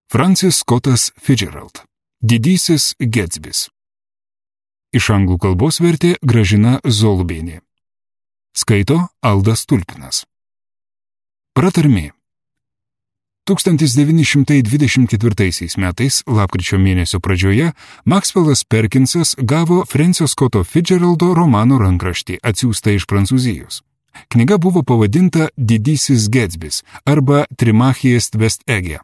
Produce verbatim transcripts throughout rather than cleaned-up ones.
Francis Scottas Fitzgerald. Didysis Getsbis. Iš anglų kalbos vertė Gražina Zolubienė. Skaito Aldas Tulpinas. Pratarmė. tūkstantis devyni šimtai dvidešimt ketvirtaisiais metais, lapkričio mėnesio pradžioje, Maxwellas Perkinsas gavo Francio Scotto Fitzgeraldo romano rankraštį atsiųstą iš Prancūzijos. Knyga buvo pavadinta Didysis Getsbis arba Trimachijest West Ege.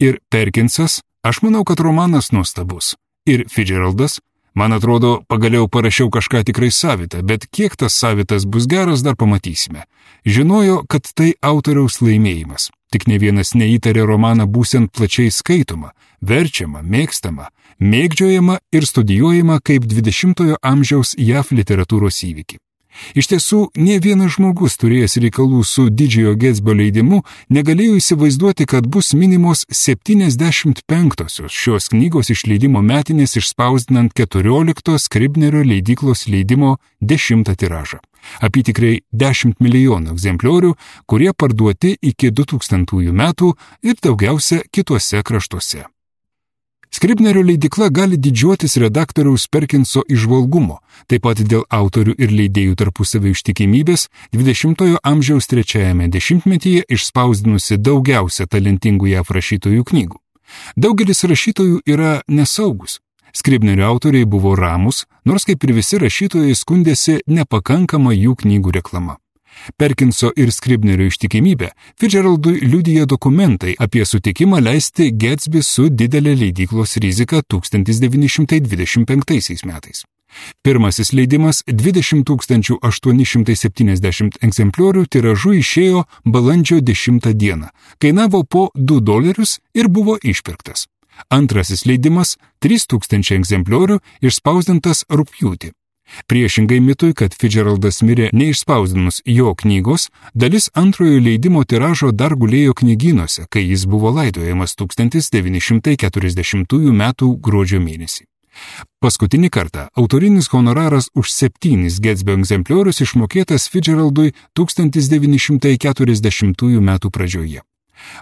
Ir Perkinsas, aš manau, kad romanas nuostabus. Ir Fitzgeraldas, man atrodo, pagaliau parašiau kažką tikrai savitą, bet kiek tas savitas bus geras, dar pamatysime. Žinojo, kad tai autoriaus laimėjimas. Tik ne vienas neįtarė romaną būsiant plačiai skaitoma, verčiama, mėgstama, mėgdžiojama ir studijuojama kaip dvidešimtojo amžiaus J A V literatūros įvykį. Iš tiesų, ne vienas žmogus turėjęs reikalų su Didžiojo Getsbio leidimu negalėjo įsivaizduoti, kad bus minimos septyniasdešimt penktosios šios knygos išleidimo metinės išspausdinant keturiolikto Scribnerio leidyklos leidimo dešimtą tiražą. Apytikriai dešimt milijonų egzempliorių, kurie parduoti iki du tūkstantųjų metų ir daugiausia kituose kraštuose. Scribnerio leidykla gali didžiuotis redaktoriaus Perkinso įžvalgumo, taip pat dėl autorių ir leidėjų tarpusavio ištikimybės dvidešimtojo amžiaus trečiajame dešimtmetyje išspausdinusi daugiausia talentingų J A V rašytojų knygų. Daugelis rašytojų yra nesaugus. Scribnerio autoriai buvo ramūs, nors kaip ir visi rašytojai skundėsi nepakankama jų knygų reklama. Perkinso ir Scribnerio ištikimybę Fitzgeraldui liudija dokumentai apie sutikimą leisti Getsbį su didelė leidyklos rizika tūkstantis devyni šimtai dvidešimt penktaisiais metais. Pirmasis leidimas dvidešimt tūkstančių aštuoni šimtai septyniasdešimt egzempliorių tiražu išėjo balandžio dešimtą dieną, kainavo po du dolerius ir buvo išpirktas. Antrasis leidimas trys tūkstančiai egzempliorių išspausdintas rugpjūtį. Priešingai mitui, kad Fitzgeraldas mirė neišspausdinus jo knygos, dalis antrojo leidimo tiražo dar gulėjo knygynuose, kai jis buvo laidojamas tūkstantis devyni šimtai keturiasdešimtųjų metų gruodžio mėnesį. Paskutinį kartą autorinis honoraras už septynis Getsbio egzempliorius išmokėtas Fitzgeraldui tūkstantis devyni šimtai keturiasdešimtųjų metų pradžioje.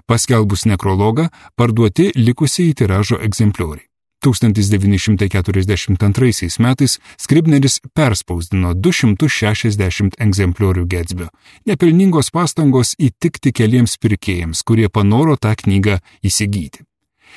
Paskelbus nekrologą, parduoti likusieji tiražo egzemplioriai. tūkstantis devyni šimtai keturiasdešimt antraisiais metais Scribneris perspausdino du šimtus šešiasdešimt egzempliorių Getsbio. Nepelningos pastangos įtikti keliems pirkėjams, kurie panoro tą knygą įsigyti.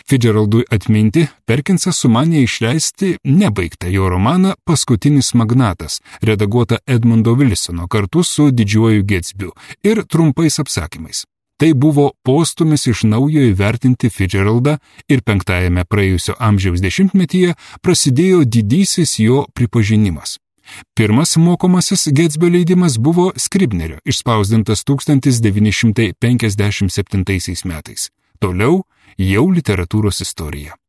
Fitzgeraldui atminti, Perkinsas sumanė išleisti nebaigtą jo romaną Paskutinis magnatas, redaguotą Edmundo Wilsono kartu su Didžiuoju Getsbiu ir trumpais apsakymais. Tai buvo postumis iš naujo įvertinti Fitzgeraldą ir penktajame praėjusio amžiaus dešimtmetyje prasidėjo didysis jo pripažinimas. Pirmas mokomasis Getsbio leidimas buvo Scribnerio, išspausdintas tūkstantis devyni šimtai penkiasdešimt septintaisiais metais. Toliau jau literatūros istorija.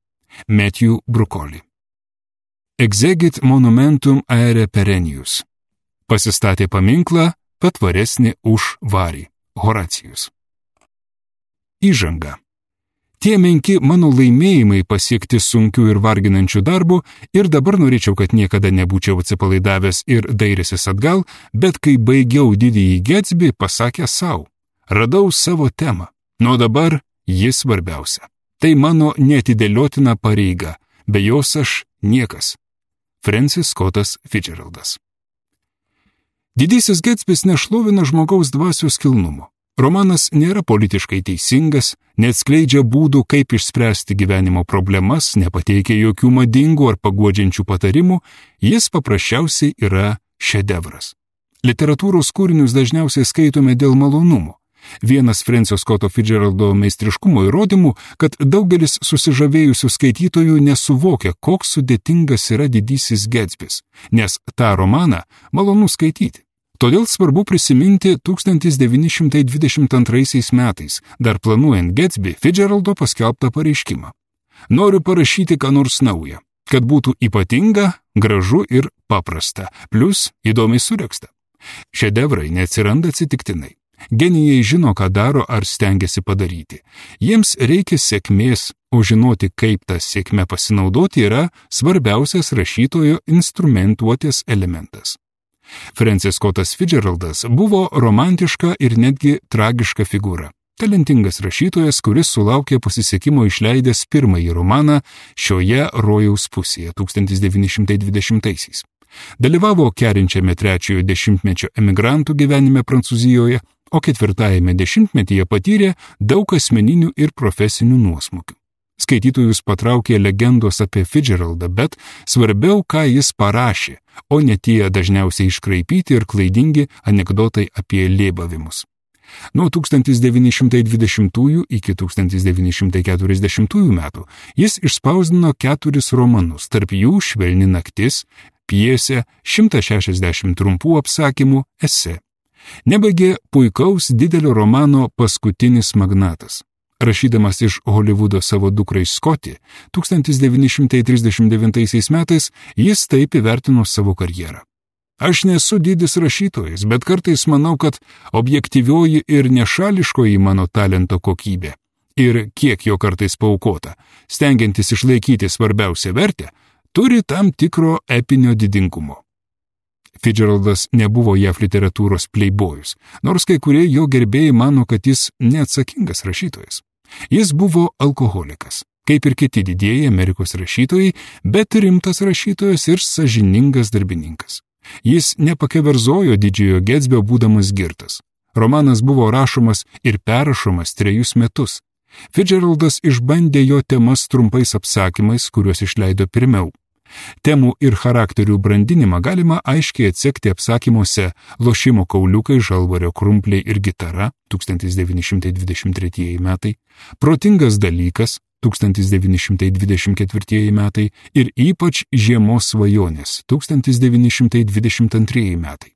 Matthew Brukoli. Exegit monumentum aere perennius. Pasistatė paminklą patvaresnį už varį. Horacijus. Įžanga. Tie menki mano laimėjimai pasiekti sunkių ir varginančių darbų ir dabar norėčiau, kad niekada nebūčiau atsipalaidavęs ir dairęsis atgal, bet kai baigiau Didįjį Getsbį, pasakė savo, radau savo temą, nuo dabar jis svarbiausia. Tai mano neatidėliotina pareiga, be jos aš niekas. Francis Scottas Fitzgeraldas. Didysis Getsbis nešlovina žmogaus dvasios kilnumo. Romanas nėra politiškai teisingas, neatskleidžia būdų, kaip išspręsti gyvenimo problemas, nepateikia jokių madingų ar paguodžiančių patarimų, jis paprasčiausiai yra šedevras. Literatūros kūrinius dažniausiai skaitome dėl malonumo. Vienas Francio Scotto Fitzgeraldo meistriškumo įrodymų, kad daugelis susižavėjusių skaitytojų nesuvokia, koks sudėtingas yra Didysis Getsbis, nes tą romaną malonu skaityti. Todėl svarbu prisiminti tūkstantis devyni šimtai dvidešimt antraisiais metais, dar planuojant Getsbį, Fitzgeraldo paskelbtą pareiškimą. Noriu parašyti ką nors naują, kad būtų ypatinga, gražu ir paprasta, plus įdomiai suregzta. Šedevrai neatsiranda atsitiktinai. Genijai žino, ką daro ar stengiasi padaryti. Jiems reikia sėkmės, o žinoti, kaip tą sėkmę pasinaudoti, yra svarbiausias rašytojo instrumentuotės elementas. Francis Scottas Fitzgeraldas buvo romantiška ir netgi tragiška figūra. Talentingas rašytojas, kuris sulaukė pasisekimo išleidęs pirmąjį romaną Šioje rojaus pusėje tūkstantis devyni šimtai dvidešimtaisiais. Dalyvavo kerinčiame trečiojo dešimtmečio emigrantų gyvenime Prancūzijoje, o ketvirtajame dešimtmetyje patyrė daug asmeninių ir profesinių nuosmukių. Skaitytojus patraukė legendos apie Fitzgeraldą, bet svarbiau, ką jis parašė, o ne tie dažniausiai iškraipyti ir klaidingi anekdotai apie lėbavimus. Nuo tūkstantis devyni šimtai dvidešimtųjų iki tūkstantis devyni šimtai keturiasdešimtųjų metų jis išspausdino keturis romanus, tarp jų Švelni naktis, pjesė, šimtas šešiasdešimt trumpų apsakymų, esė. Nebaigė puikaus didelio romano Paskutinis magnatas. Rašydamas iš Holivudo savo dukrai Scotty, tūkstantis devyni šimtai trisdešimt devintaisiais metais jis taip įvertino savo karjerą. Aš nesu didis rašytojas, bet kartais manau, kad objektyvioji ir nešališkoji mano talento kokybė ir kiek jo kartais paaukota, stengiantis išlaikyti svarbiausią vertę, turi tam tikro epinio didingumo. Fitzgeraldas nebuvo J A V literatūros pleibojus, nors kai kurie jo gerbėjai mano, kad jis neatsakingas rašytojas. Jis buvo alkoholikas, kaip ir kiti didieji Amerikos rašytojai, bet rimtas rašytojas ir sąžiningas darbininkas. Jis nepakeverzojo Didžiojo Getsbio būdamas girtas. Romanas buvo rašomas ir perrašomas trejus metus. Fitzgeraldas išbandė jo temas trumpais apsakymais, kuriuos išleido pirmiau. Temų ir charakterių brandinimą galima aiškiai atsekti apsakymuose Lošimo kauliukai, Žalvario krumpliai ir gitara tūkstantis devyni šimtai dvidešimt tretieji metai, Protingas dalykas tūkstantis devyni šimtai dvidešimt ketvirtieji metai ir ypač Žiemos svajonės tūkstantis devyni šimtai dvidešimt antrieji metai.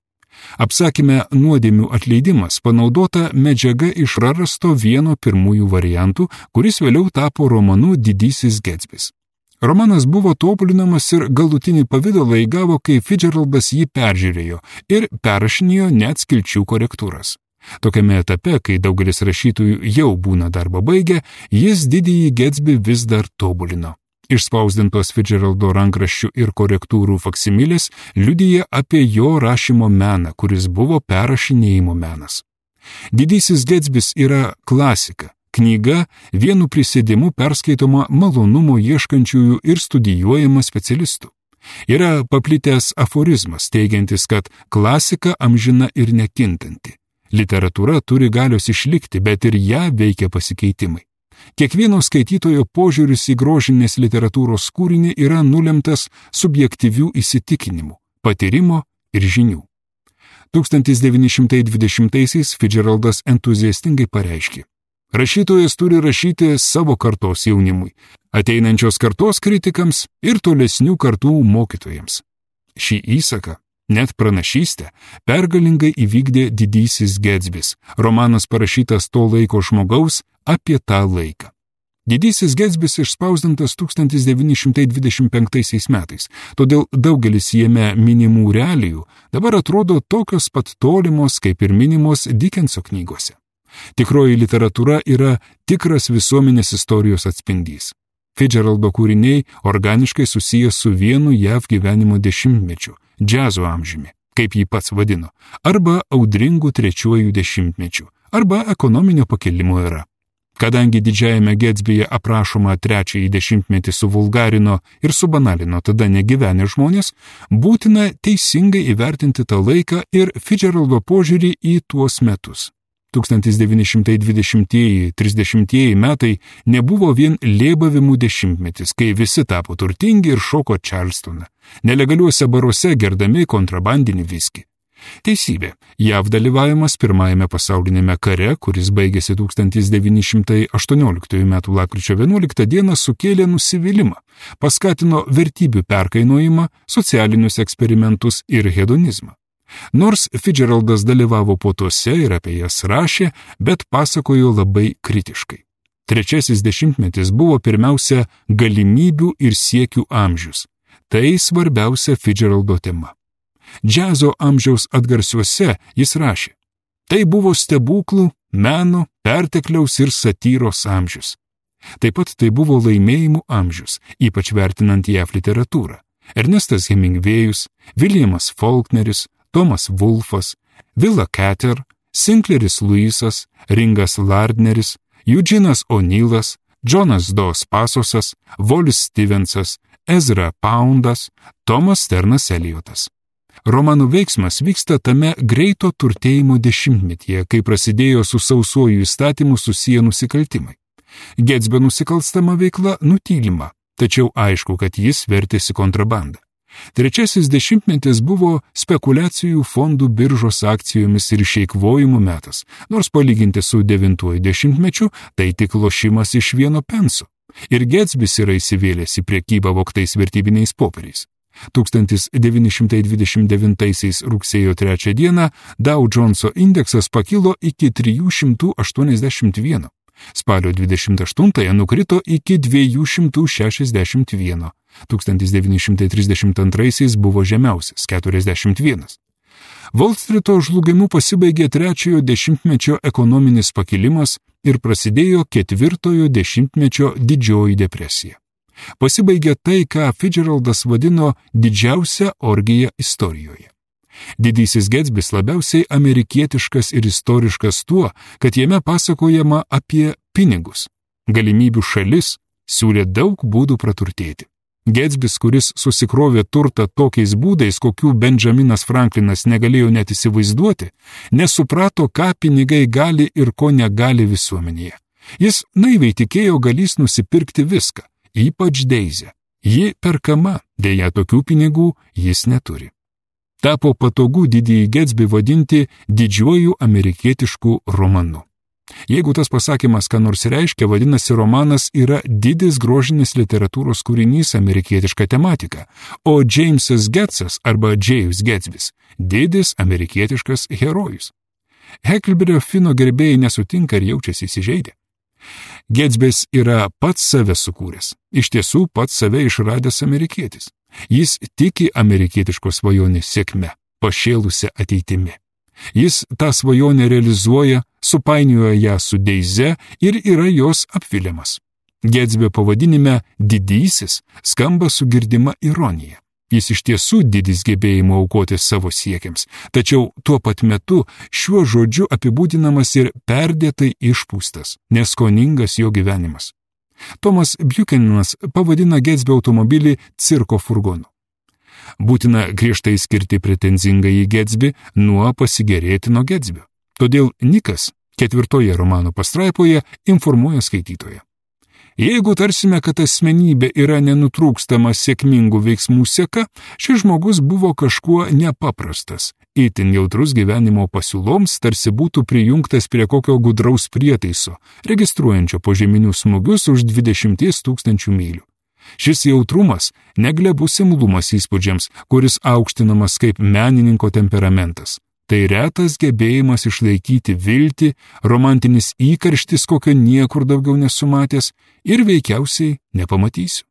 Apsakyme Nuodėmių atleidimas panaudota medžiaga iš prarasto vieno pirmųjų variantų, kuris vėliau tapo romanu Didysis Getsbis. Romanas buvo tobulinamas ir galutinį pavidalą įgavo, kai Fitzgeraldas jį peržiūrėjo ir perrašinėjo net skilčių korektūras. Tokiame etape, kai daugelis rašytojų jau būna darbą baigę, jis Didįjį Getsbį vis dar tobulino. Išspausdintos Fitzgeraldo rankraščių ir korektūrų faksimilės liudija apie jo rašymo meną, kuris buvo perrašinėjimo menas. Didysis Getsbis yra klasika. Knyga vienu prisėdimu perskaitoma malonumo ieškančiųjų ir studijuojama specialistų. Yra paplitęs aforizmas, teigiantis, kad klasika amžina ir nekintanti. Literatūra turi galios išlikti, bet ir ją veikia pasikeitimai. Kiekvieno skaitytojo požiūris į grožinės literatūros kūrinį yra nulemtas subjektyvių įsitikinimų, patyrimo ir žinių. tūkstantis devyni šimtai dvidešimtaisiais Fitzgeraldas entuziastingai pareiškė: rašytojas turi rašyti savo kartos jaunimui, ateinančios kartos kritikams ir tolesnių kartų mokytojams. Šį įsaką, net pranašystę, pergalingai įvykdė Didysis Getsbis, romanas parašytas to laiko žmogaus apie tą laiką. Didysis Getsbis išspausdintas tūkstantis devyni šimtai dvidešimt penktaisiais metais, todėl daugelis jame minimų realijų dabar atrodo tokios pat tolimos, kaip ir minimos Dickenso knygose. Tikroji literatūra yra tikras visuomenės istorijos atspindys. Fitzgeraldo kūriniai organiškai susijęs su vienu J A V gyvenimo dešimtmečiu, džiazo amžiumi, kaip jį pats vadino, arba audringų trečiuoju dešimtmečiu, arba ekonominio pakilimo era. Kadangi Didžiajame Getsbyje aprašoma trečiąjį dešimtmetį suvulgarino ir subanalino tada negyvenę žmonės, būtina teisingai įvertinti tą laiką ir Fitzgeraldo požiūrį į tuos metus. tūkstantis devyni šimtai dvidešimtieji trisdešimtieji metai nebuvo vien lėbavimų dešimtmetis, kai visi tapo turtingi ir šoko Čarlstoną, nelegaliuose baruose gerdami kontrabandinį viskį. Teisybė, J A V dalyvavimas pirmajame pasaulinėme kare, kuris baigėsi tūkstantis devyni šimtai aštuonioliktųjų metų lapkričio vienuoliktą dieną, sukėlė nusivylimą, paskatino vertybių perkainojimą, socialinius eksperimentus ir hedonizmą. Nors Fitzgeraldas dalyvavo puotose ir apie jas rašė, bet pasakojo labai kritiškai. Trečiasis dešimtmetis buvo pirmiausia galimybių ir siekių amžius. Tai svarbiausia Fitzgeraldo tema. Džiazo amžiaus atgarsiuose jis rašė: tai buvo stebuklų, meno, pertekliaus ir satyros amžius. Taip pat tai buvo laimėjimų amžius, ypač vertinant J A V literatūrą. Ernestas Hemingvėjus, Williamas Faulkneris, Tomas Wolfas, Willa Cather, Sinclairis Luisas, Ringas Lardneris, Eugenas O'Neillas, Džonas Dos Pasosas, Volis Stevensas, Ezra Poundas, Tomas Sternas Eliotas. Romanų veiksmas vyksta tame greito turtėjimo dešimtmetyje, kai prasidėjo su sausuoju įstatymu susiję nusikaltimai. Getsbio nusikalstama veikla nutylima, tačiau aišku, kad jis vertėsi kontrabandą. Trečiasis dešimtmetis buvo spekulacijų fondų biržos akcijomis ir išeikvojimų metas, nors palyginti su devintuoju dešimtmečiu tai tik lošimas iš vieno penso. Ir Getsbis yra įsivėlęs į prekybą vogtais vertybiniais popieriais. tūkstantis devyni šimtai dvidešimt devintaisiais rugsėjo trečią dieną Dow Joneso indeksas pakilo iki trijų šimtų aštuoniasdešimt vieno. Spalio dvidešimt aštuntąją nukrito iki dviejų šimtų šešiasdešimt vieno. tūkstantis devyni šimtai trisdešimt antraisiais buvo žemiausias – keturiasdešimt vienas. Volstryto žlugimu pasibaigė trečiojo dešimtmečio ekonominis pakilimas ir prasidėjo ketvirtojo dešimtmečio didžioji depresija. Pasibaigė tai, ką Fitzgeraldas vadino didžiausia orgija istorijoje. Didysis Getsbis labiausiai amerikietiškas ir istoriškas tuo, kad jame pasakojama apie pinigus. Galimybių šalis siūlė daug būdų praturtėti. Getsbis, kuris susikrovė turtą tokiais būdais, kokių Benjaminas Franklinas negalėjo net įsivaizduoti, nesuprato, ką pinigai gali ir ko negali visuomenėje. Jis naiviai tikėjo galys nusipirkti viską, ypač Deizę. Ji perkama, dėja tokių pinigų jis neturi. Tapo patogu didįjį Getsbį vadinti didžiuoju amerikietišku romanu. Jeigu tas pasakymas ką nors reiškia, vadinasi, romanas yra didis grožinis literatūros kūrinys amerikietiška tematika, o Jamesas Getsas arba James Getsbis – didis amerikietiškas herojus. Heklberio Fino gerbėjai nesutinka ir jaučiasi įsižeidę. Getsbis yra pats save sukūręs, iš tiesų pats save išradęs amerikietis. Jis tiki amerikietiškos svajonės sėkme, pašėlusią ateitimi. Jis tą svajonę realizuoja, supainioja ją su Deize ir yra jos apviliamas. Getsbio pavadinime didysis skamba su girdima ironija. Jis iš tiesų didis gebėjimo aukoti savo siekiams, tačiau tuo pat metu šiuo žodžiu apibūdinamas ir perdėtai išpūstas, neskoningas jo gyvenimas. Tomas Buchananas pavadina Getsbio automobilį cirko furgonu. Būtina griežtai skirti pretenzingąjį Getsbį nuo pasigėrėtino Getsbio. Todėl Nikas ketvirtoje romano pastraipoje informuoja skaitytoją. Jeigu tarsime, kad asmenybė yra nenutrūkstama sėkmingų veiksmų seka, šis žmogus buvo kažkuo nepaprastas, itin jautrus gyvenimo pasiūloms, tarsi būtų prijungtas prie kokio gudraus prietaiso, registruojančio požeminius smūgius už dvidešimt tūkstančių mylių. Šis jautrumas neglebus imlumas įspūdžiams, kuris aukštinamas kaip menininko temperamentas. Tai retas gebėjimas išlaikyti viltį, romantinis įkarštis, kokio niekur daugiau nesumatęs ir veikiausiai nepamatysiu.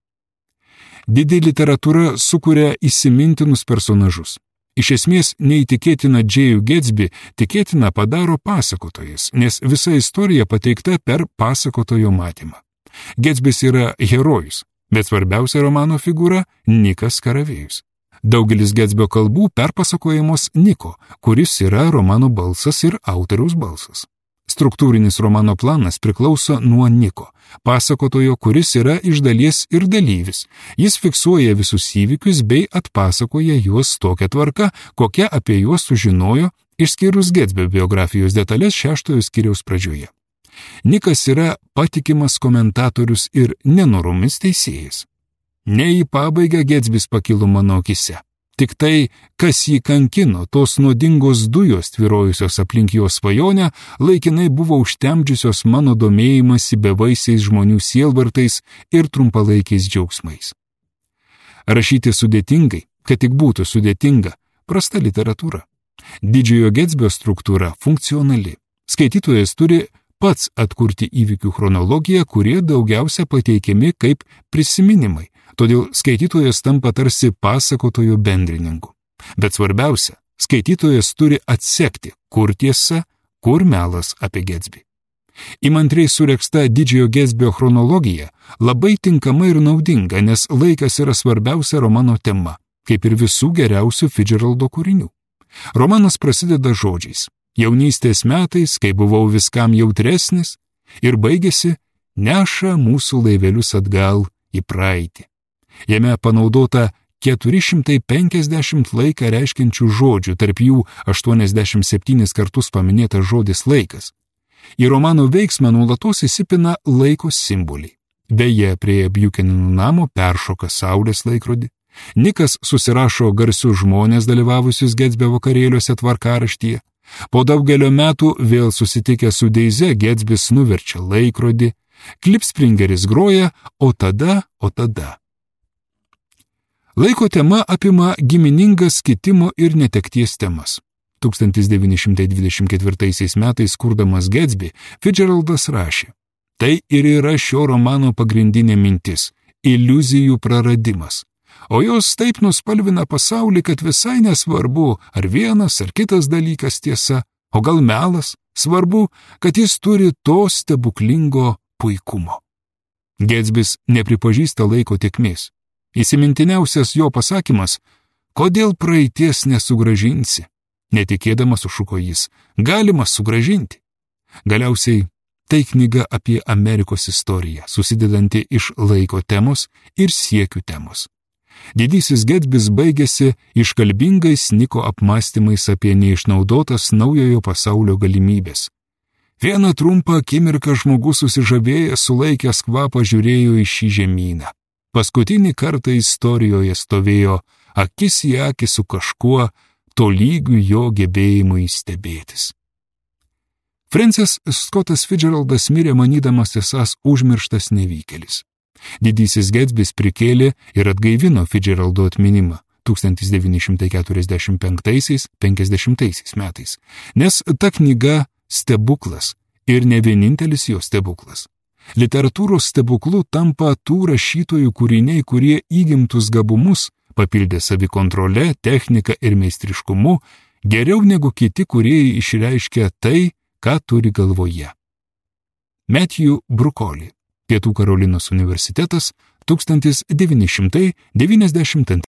Didi literatūra sukuria įsimintinus personažus. Iš esmės neįtikėtina Džėjų Getsbį tikėtina padaro pasakotojas, nes visa istorija pateikta per pasakotojo matymą. Getsbis yra herojus, bet svarbiausia romano figūra – Nikas Karavėjus. Daugelis Getsbio kalbų perpasakojamos Niko, kuris yra romano balsas ir autoriaus balsas. Struktūrinis romano planas priklauso nuo Niko, pasakotojo, kuris yra iš dalies ir dalyvis. Jis fiksuoja visus įvykius bei atpasakoja juos tokia tvarka, kokia apie juos sužinojo, išskyrus Getsbio biografijos detalės šeštojo skyriaus pradžioje. Nikas yra patikimas komentatorius ir nenoromis teisėjas. Ne į pabaigą Getsbis pakilo mano akise. Tik tai, kas jį kankino, tos nuodingos dujos tvyrojusios aplink jo svajonę, laikinai buvo užtemdžiusios mano domėjimąsi bevaisiais žmonių sielvartais ir trumpalaikiais džiaugsmais. Rašyti sudėtingai, kad tik būtų sudėtinga, prasta literatūra. Didžiojo Getsbio struktūra funkcionali. Skaitytojas turi pats atkurti įvykių chronologiją, kurie daugiausia pateikiami kaip prisiminimai. Todėl skaitytojas tampa tarsi pasakotojo bendrininku. Bet svarbiausia, skaitytojas turi atsekti, kur tiesa, kur melas apie Getsbį. Įmantriai suregsta didžiojo Getsbio chronologija labai tinkama ir naudinga, nes laikas yra svarbiausia romano tema, kaip ir visų geriausių Fitzgeraldo kūrinių. Romanas prasideda žodžiais. jaunystės metais, kai buvau viskam jautresnis, ir baigėsi neša mūsų laivelius atgal į praeitį. Jame panaudota keturi šimtai penkiasdešimt laiką reiškiančių žodžių, tarp jų aštuoniasdešimt septynis kartus paminėtas žodis laikas. Į romano veiksmą nuolatos įsipina laiko simboliai. Beje, prie Buchanan namo peršoka saulės laikrodį. Nikas susirašo garsius žmonės dalyvavusius Gatsbio vakarėliuose tvarkaraštyje. Po daugelio metų vėl susitikę su Deize, Gatsbis nuverčia laikrodį, Klipspringeris groja, o tada, o tada. Laiko tema apima giminingas kitimo ir netekties temas. tūkstantis devyni šimtai dvidešimt ketvirtaisiais metais kurdamas Gatsby, Fitzgeraldas rašė: tai ir yra šio romano pagrindinė mintis – iliuzijų praradimas. O jos taip nuspalvina pasaulį, kad visai nesvarbu, ar vienas ar kitas dalykas tiesa, o gal melas, svarbu, kad jis turi to stebuklingo puikumo. Gatsbis nepripažįsta laiko tėkmės. Įsimintiniausias jo pasakymas – kodėl praeities nesugrąžinsi? Netikėdamas sušuko jis – galima sugrąžinti. Galiausiai tai knyga apie Amerikos istoriją, susidedanti iš laiko temos ir siekių temos. Didysis Gatsbis baigėsi iškalbingais Niko apmąstymais apie neišnaudotas naujojo pasaulio galimybės. Vieną trumpą akimirką žmogus susižavėjęs sulaikęs kvapą žiūrėjo į šį žemyną. Paskutinį kartą istorijoje stovėjo akis į akį su kažkuo, tolygiu jo gebėjimui stebėtis. Francis Scottas Fitzgeraldas mirė manydamas esąs užmirštas nevykėlis. Didysis Gatsbis prikėlė ir atgaivino Fitzgeraldo atminimą tūkstantis devyni šimtai keturiasdešimt penktaisiais - penkiasdešimtaisiais metais, nes ta knyga stebuklas ir ne vienintelis jo stebuklas. Literatūros stebuklu tampa tų rašytojų kūriniai, kurie įgimtus gabumus papildė savikontrole, technika ir meistriškumu, geriau negu kiti kūrėjai išreiškia tai, ką turi galvoje. Matthew Brukoli, Pietų Karolinos universitetas, tūkstantis devyni šimtai devyniasdešimt